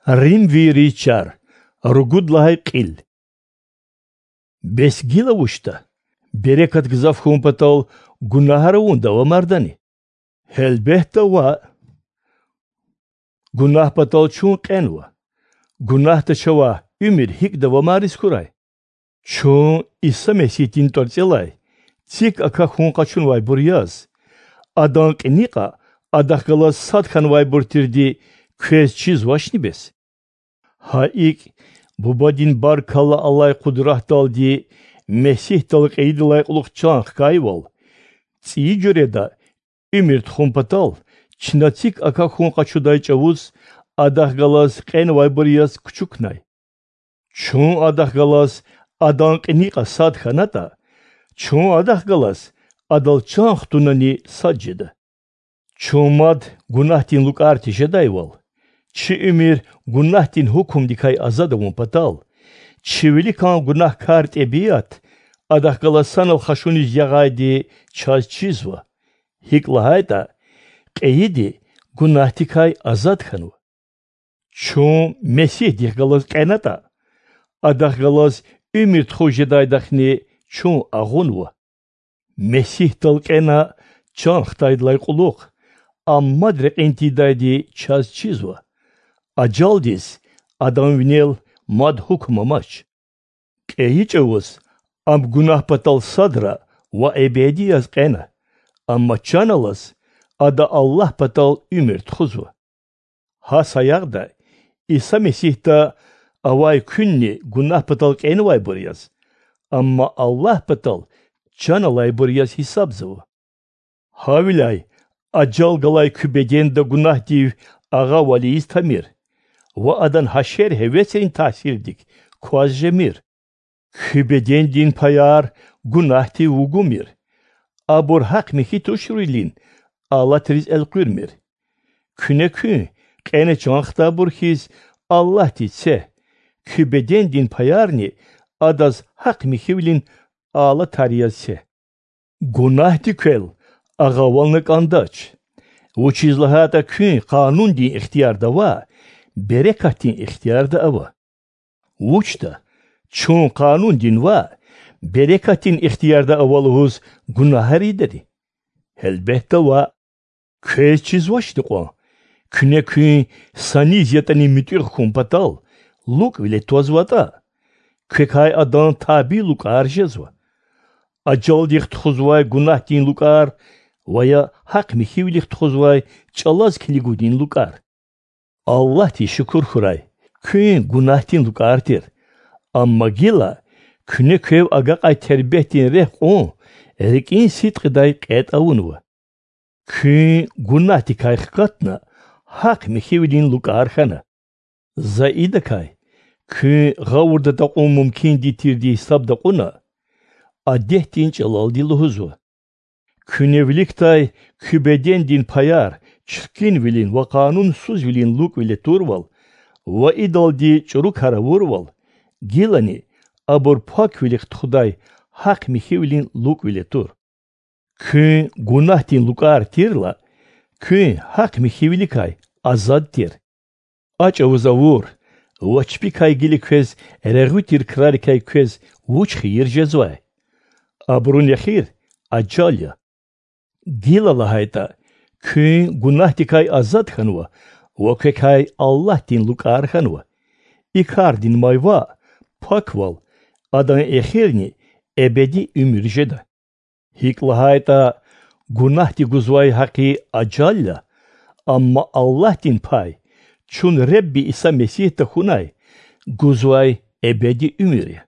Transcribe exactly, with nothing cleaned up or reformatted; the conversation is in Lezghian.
Римвийриз чар. Ругуд лагьай кьил. Бес гила вучда? Берекат гзаф хьун патал гунагьар авун давамардани? Гьелбетда, ваъ. Гунагь патал чун кьенва. Гунагьда чавай уьмуьр гьикӀ давамариз хьурай? Чун Иса Месигьдин тӀварцӀелай цик акахьун къачунвайбур яз, Адан кьиникьа Адахъ галаз сад хьанвайбур тирди квез чизвачни бес? Гьа икӀ, Бубадин баркалла алай къудратдалди Месигьдал кьейидалай кьулухъ чан хкайвал, цӀийи жуьреда уьмуьр тухун патал чна цик акахьун къачудай чӀавуз Адахъ галаз кьенвайбур яз кучукнай. Чун Адахъ галаз Адан кьиникьа сад хьанатӀа, чун Адахъ галаз Адал чан хтунани сад жеда. Чун мад гунагьдин лукӀар тежедайвал, чи уьмуьр гунагьдин гьукумдикай азад авун патал, чи виликан гунагькар тӀебиат Адахъ галаз санал хашуниз ягъайди чаз чизва, гьикӀ лагьайтӀа кьейиди гунагьдикай азад хьанва. Чун Месигьдихъ галаз кьенатӀа, Адахъ галаз уьмуьр тухуз жедайдахъни чун агъунва. Месигьдал кьена чан хтайдалай кьулухъ, Ам мад рекьин тийидайди чаз чизва. Ажалдиз Адан винел мад гьукум амач. КьейичӀавуз Ам гунагь патал садра ва эбеди яз кьена, амма чан алаз Ада Аллагь патал уьмуьр тухузва. Гьа саягъда Иса Месигьда авай куьнни гунагь патал кьенвайбур яз, амма Аллагь патал чан алайбур яз гьисабзава. Гьавиляй ажал галай куь беденда гунагьдив агъавал ийиз тамир ва адан гьашер-гьевесрин таъсирдик кваз жемир. Куь бедендин паяр гунагьдив вугумир, абур гьахъ-михьи туширвилин алатриз элкъуьрмир. Куьне куьн кьена чан хтайбур хьиз Аллагьдиз це, куь бедендин паярни адаз гьахъ-михьивилин алатар яз це. Гунагьди квел агъавална кӀандач, вучиз лагьайтӀа куьн къанундин ихтиярда ваъ, берекатдин ихтиярда ава. Вучда, чун къанундин ваъ, берекатдин ихтиярда ава лугьуз гунагьар ийидани? Гьелбетда, ваъ. Квез чизвачни кьван, куьне куьн са низ ятӀани муьтӀуьгъ хьун патал лукӀвиле твазватӀа, квекай адан табий лукӀар жезва: ажалдихъ тухузвай гунагьдин лукӀар ва я гьахъ-михьивилихъ тухузвай чӀалаз килигунин лукӀар. Аллагьдиз шукур хьурай, куьн гунагьдин лукӀар тир, амма гила куьне квев агакьай тербетдин рехъ кьун рикӀин сидкьидай кьетӀ авунва. Куьн гунагьдикай хкатна гьахъ-михьивилин лукӀар хьана. За идакай, куьн гъавурда такьун мумкинди тирди гьисабда кьуна, адетдин чӀалалди лугьузва: куьне виликдай куь бедендин паяр чиркинвилин ва къанунсузвилин лукӀвиле турвал ва идалди чӀурукар авурвал, гилани абур паквилихъ тухудай гьахъ-михьивилин лукӀвиле тур. Куьн гунагьдин лукӀар тирла, куьн гьахъ-михьивиликай азад тир. А чӀавуз авур ва чпикай гила квез регъуь тир крарикай квез вуч хийир жезвай? Абурун эхир ажал я. Гила лагьайтӀа, куьн гунагьдикай азад хьанва ва квекай Аллагьдин лукӀар хьанва. И кардин май ваъ, паквал, адан эхирни эбеди уьмуьр жеда. ГьикӀ лагьайтӀа, гунагьди гузвай гьакъи ажал я, амма Аллагьдин пай чун Ребби Иса Месигь тахьунай гузвай эбеди уьмуьр я.